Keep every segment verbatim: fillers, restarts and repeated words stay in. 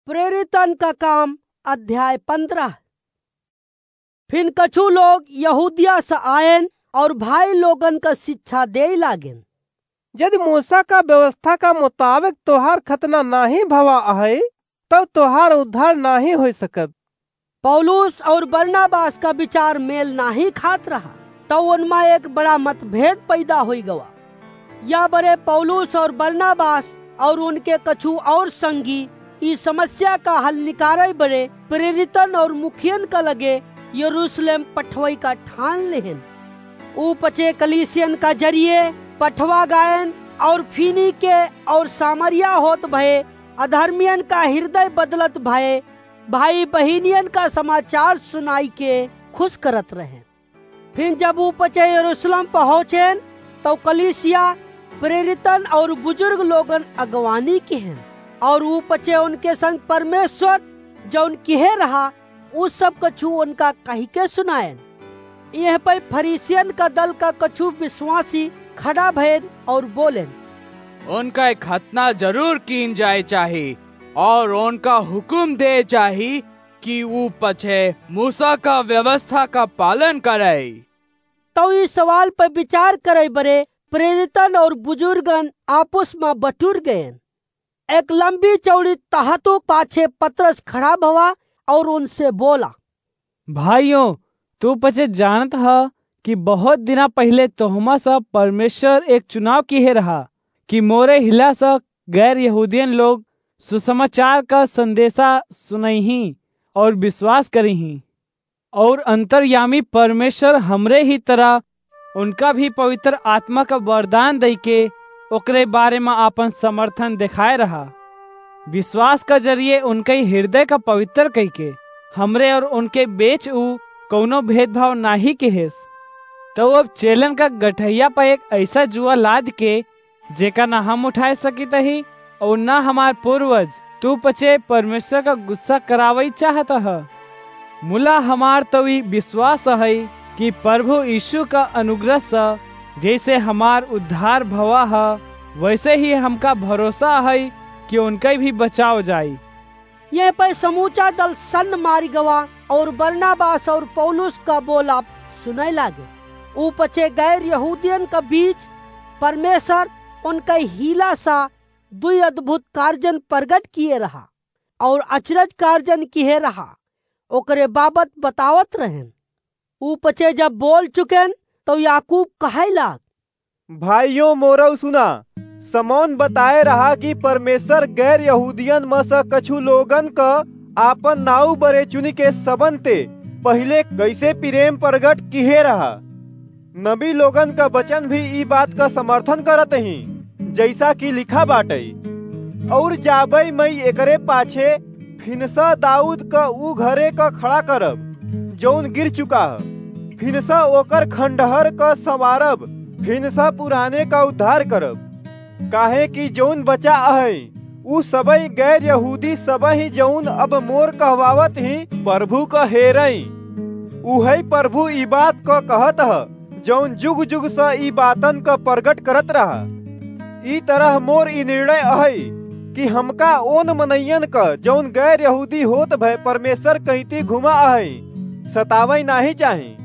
प्रेरितन का काम, अध्याय पन्द्रह। फिन कछु लोग यहूदिया से आयन और भाई लोगन का शिक्षा देइ लागेन। यदि मूसा का व्यवस्था का मुताबिक तोहार खतना नाहीं भवा अहइ, तब तोहार उद्धार नाहीं होइ सकत। पौलुस और बरनबास का विचार मेल नाहीं खात रहा, तब उनमा एक बड़ा मतभेद पैदा होइ गवा। या बरे पौलुस और बरनबास और उनके कछु और संगी ई समस्या का हल निकारे बरे प्रेरितन और मुखियन का लगे यरूशलेम पठवइ का ठान लेहन। ऊ पचे कलीसियन का जरिए पठवा गायन और फीनीके और सामरिया होत भए अधर्मियन का हृदय बदलत भए भाई बहिनियन का समाचार सुनाइ के खुश करत रहेन। फिर जब ऊ पचे यरूशलेम पहुँचेन, तउ कलीसिया, प्रेरितन और बुजुर्ग लोगन अगवानी किहेन, और ऊ पचे उनके संग परमेश्वर जउन किहे रहा, ऊ सब कछु उनका कहिके सुनाएन। एह पइ फरीसियन का दल का कछु विश्वासी खड़ा भएन और बोलेन, उनका एक खतना जरूर कीन जाए चाही, और उनका हुकुम दे चाही कि ऊ पछे मूसा का व्यवस्था का पालन करइ। तउ ई सवाल पर विचार करइ बरे प्रेरितन और बुजुर्गन आपुस मा बटुर गएन। एक लंबी चौड़ी तहतु पाछे पतरस खड़ा भवा और उनसे बोला, भाइयों, तू पछे जानत ह कि बहुत दिना पहिले तोहमा सब परमेश्वर एक चुनाव किहे रहा कि मोरे हिला स गैर यहूदियन लोग सुसमाचार का संदेशा सुनइहीं और विश्वास करिहीं। और अंतर्यामी परमेश्वर हमरे ही तरह उनका भी पवित्र आत्मा का वरदान दइके ओकरे बारे मा आपन समर्थन देखाए रहा। विश्वास का जरिए उनके हृदय का पवित्र कइके हमरे और उनके बीच ऊ कउनो भेदभाव नाहीं किहेस। तउ अब चेलन का गठइया पर एक अइसा जुआ लाद के जेका ना हम उठाए सकित ही और ना हमार पूर्वज, तू पछे परमेश्वर का गुस्सा करावइ चाहत ह। मुला हमार तउ ई विश्वास हइ कि प्रभु यीशु का अनुग्रह स जइसे हमार उद्धार भवा ह, वइसे ही हमका भरोसा हइ कि उनके भी बचाव जाई। एह पइ समूचा दल सन्न मारि गवा और बरनबास और पौलुस का बोलाब सुनइ लागे। ऊ पछे गैर यहूदियन का बीच परमेश्वर उनके हीला सा दुइ अद्भुत कार्जन प्रगट किहे रहा और अचरज कार्जन किहे रहा, ओकरे बाबत बतावत रहेन। ऊ पछे जब बोल चुकेन, तउ याकूब कहइ लाग, भाइयों मोरउ सुना, समौन बताए रहा कि परमेश्वर गैर यहूदियन म स कछु लोगन क आपन नाऊ बरे चुनिके सबन ते पहिले कइसे प्रेम प्रगट किहे रहा। नबी लोगन क वचन भी ई बात क समर्थन करत ही, जइसा कि लिखा बाटइ, और जाबइ मइ एकरे पाछे फिनसा दाऊद क ऊ घरे क खड़ा करब, जउन गिर चुका ह। फिनसा ओकर खंडहर क संवारब, फिनसा पुराने क उद्धार करब। काहे कि जउन बचा अहइ, ऊ सबइ गैर यहूदी सबइ जउन अब मोर कहवावत ही, प्रभु क हेरइ। उहइ प्रभु ई बात क कहत ह, जउन जुग जुग स ई बातन क प्रगट करत रहा। ई तरह मोर ई निर्णय अहइ कि हमका ओन मनइयन क, जउन गैर यहूदी होत भए परमेश्वर कइती घुमा अहइ, सतावइ नाहीं चाही।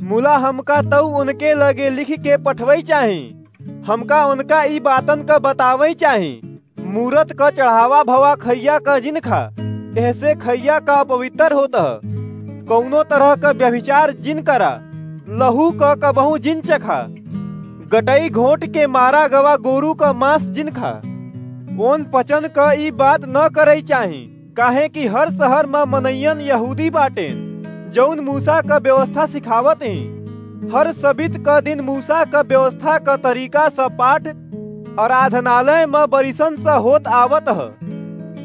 मुला हमका तउ उनके लगे लिखि के पठवइ चाही। हमका उनका ई बातन क बतावइ चाही। मूरत क चढ़ावा भवा खइया क जिन खा, एहसे खइया क अपवित्र होत ह। कउनो तरह क व्यभिचार जिन करा, लहू क कबहूँ जिन चखा। गटई घोंट के मारा गवा गोरू क मांस जिन खा। ओन पचन क ई बात न करइ चाही, काहे कि हर शहर म मनइयन यहूदी बाटेन, जउन मूसा क व्यवस्था सिखावत ही। हर सबित क दिन मूसा क व्यवस्था क तरीका स पाठ आराधनालय म बरिसन स होत आवत ह।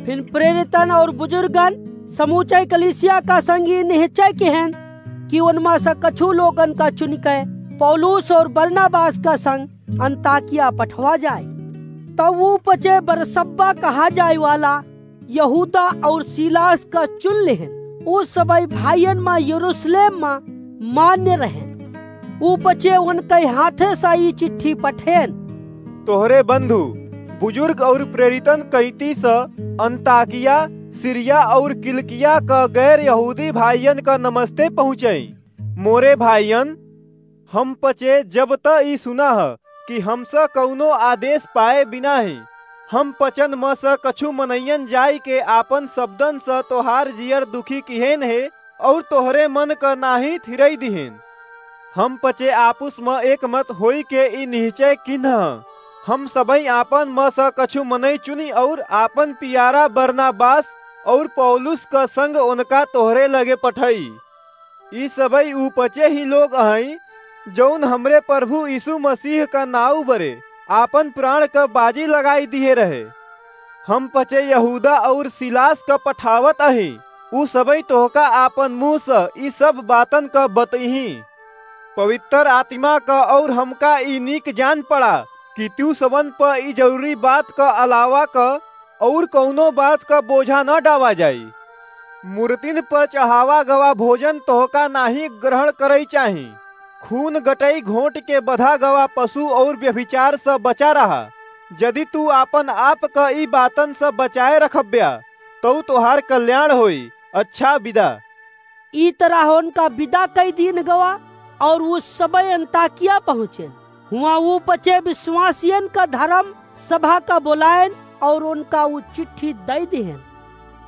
फिन प्रेरितन और बुजुर्गन समूचे कलीसिया का संग ई निश्चय किहेन कि उनमा स कछु लोगन का चुनिके पौलुस और बरनबास का संग अंताकिया पठवा जाए। तब ऊ पचे बरसब्बा कहा जाए वाला यहूदा और सीलास का चुन लेहन। ऊ सबइ भाइयन मा यरूशलेम मा मान्य रहेन। ऊ पचे उनके हाथे सा ई चिट्ठी पठेन। तोहरे बंधु, बुजुर्ग और प्रेरितन कइती स अंताकिया सीरिया और किलिकिया क गैर यहूदी भाइयन क नमस्ते पहुँचई। मोरे भाइयन, हम पचे जब त ई सुना ह कि हमस कउनो आदेश पाए बिना ही हम पचन म स कछु मनइयन जाइके आपन शब्दन स तोहार जियर दुखी किहेन हे और तोहरे मन क नाहीं थिरई दिहेन। हम पचे आपुस म एक मत होइके ई निहचय किन्ह ह, हम सबई आपन म स कछु मनई चुनी और आपन पियारा बरनाबास और पौलुस क संग ओनका तोहरे लगे पठई। ई सबई ऊ पचे ही लोग अहई, जौन हमरे प्रभु यीशु मसीह क नाऊ बरे आपन प्राण क बाजी लगाई दिहे रहे। हम पचे यहूदा और सीलास क पठावत अही, ऊ सबई तोहका आपन मुँह स ई सब बातन क बतइही। पवित्र आत्मा क और हमका ई नीक जान पड़ा कि तू सबन प ई जरूरी बात क अलावा क और कउनो बात क बोझा न डावा जाई। मूर्तिन प चढ़ावा गवा भोजन तोहका नाहीं ग्रहण करई चाही। खून गटई घोंट के बधा गवा पशु और व्यभिचार स बचा रहा। यदि तू आपन आप क ई बातन स बचाए रखब्या, तउ तोहार कल्याण होई। अच्छा विदा। ई तरह उनका विदा कई दीन गवा और ऊ सबई अंताकिया पहुँचेन। हुआँ ऊ पचे विश्वासियन का धर्म सभा का बोलायन और उनका ऊ चिट्ठी दई दिहेन।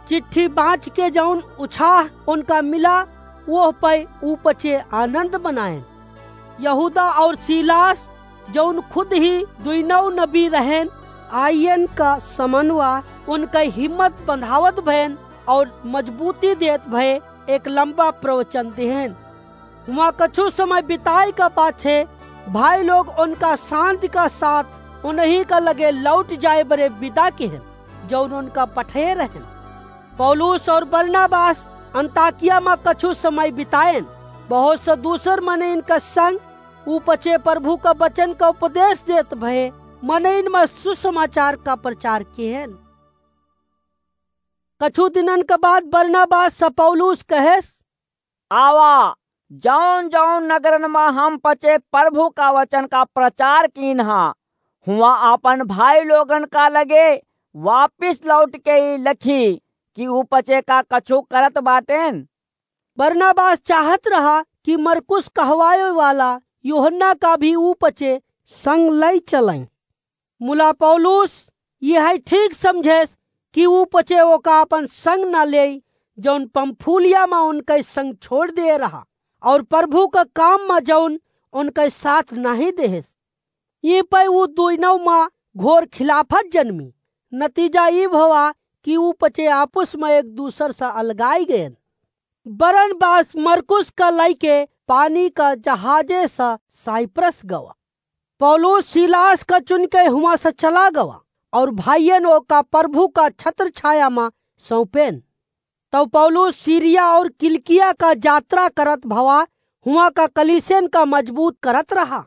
चिट्ठी बाँच के जौन उछाह उनका मिला, वोह पै ऊ पचे आनंद मनायन। यहूदा और सीलास, जौन खुद ही दुइनौ नबी रहेन, आइयन का समनवा उनका हिम्मत बंधावत भयन और मजबूती देत भय एक लंबा प्रवचन दिहेन। हुआँ कछु समय बिताए का पाछे भाई लोग उनका शांति का साथ उन्हीं का लगे लौट जाए बरे विदा किहेन, जौन उनका पठे रहेन। पौलुस और बरनाबास अंताकिया मा कछु समय बिताएन। बहुत से दूसर मने इनका संग ऊ पचे प्रभु का वचन का उपदेश देत भए मनइन मा सुसमाचार का प्रचार किहेन। कछु दिनन के बाद बरनाबास से पौलुस कहेस, आवा, जौन जौन नगरन मा हम पचे प्रभु का वचन का प्रचार कीन हा, हुआँ आपन भाई लोगन का लगे वापिस लौट के ई लखी कि ऊ पचे का कछु करत बाटेन। बरनाबास चाहत रहा कि मरकुस कहवाए वाला यूहन्ना का भी ऊ पचे संग लई चलई। मुला पौलुस यह ठीक समझेस कि ऊ पचे ओका अपन संग ना लेई, जौन पंफूलिया मा उनके संग छोड़ दे रहा, और प्रभु का काम मा जौन उनके साथ नाहीं देहेस। ई पै ऊ दुइनौ मा घोर खिलाफत जन्मी। नतीजा ई भवा कि ऊ पचे आपुस मा एक दूसर से अलगाई गएन। बरनबास मरकुस का लइके पानी का जहाजे स साइप्रस गवा। पौलुस सीलास का चुनके हुआँ स चला गवा और भाइयन ओका प्रभु का छत्र छाया मा सौंपेन। तब पौलुस सीरिया और किलिकिया का जात्रा करत भवा हुआँ का कलीसियन का मजबूत करत रहा।